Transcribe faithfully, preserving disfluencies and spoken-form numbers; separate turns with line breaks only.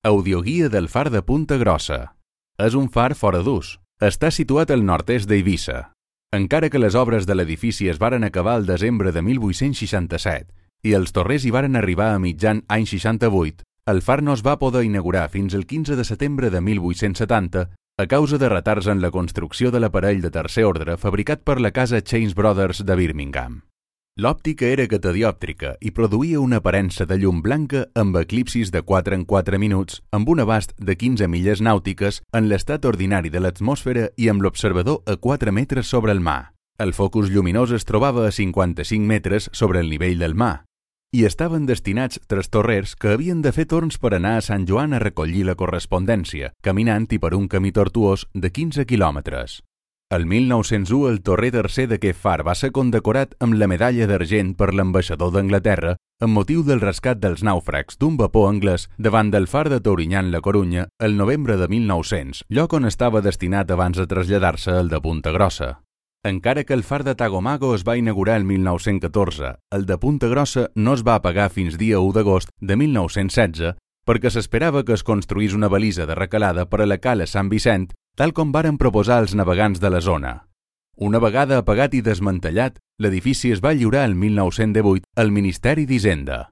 Audioguia del far de Punta Grossa. És un far fora d'ús. Està situat al nord-est d'Eivissa. Encara que les obres de l'edifici es varen acabar el desembre de mil vuit-cents seixanta-set i els torrers hi varen arribar a mitjan any seixanta-vuit, el far no es va poder inaugurar fins el quinze de setembre de mil vuit-cents setanta a causa de retards en la construcció de l'aparell de tercer ordre fabricat per la casa Chains Brothers de Birmingham. L'òptica era catadiòptrica i produïa una aparença de llum blanca amb eclipsis de quatre en quatre minuts amb un abast de quinze milles nàutiques en l'estat ordinari de l'atmosfera i amb l'observador a quatre metres sobre el mar. El focus lluminós es trobava a cinquanta-cinc metres sobre el nivell del mar i estaven destinats tres torrers que havien de fer torns per anar a Sant Joan a recollir la correspondència, caminant i per un camí tortuós de quinze quilòmetres. El mil nou-cents u el torrer tercer d'aquest far va ser condecorat amb la medalla d'argent per l'ambaixador d'Anglaterra amb motiu del rescat dels nàufrags d'un vapor anglès davant del far de Tourinyán-La Corunya el novembre de mil nou-cents, lloc on estava destinat abans de traslladar-se al de Punta Grossa. Encara que el far de Tagomago es va inaugurar el mil nou-cents catorze, el de Punta Grossa no es va apagar fins dia u d'agost de mil nou-cents setze perquè s'esperava que es construís una balisa de recalada per a la cala Sant Vicent, tal com varen proposar els navegants de la zona. Una vegada apagat i desmantellat, l'edifici es va lliurar el mil nou-cents divuit al Ministeri d'Hisenda.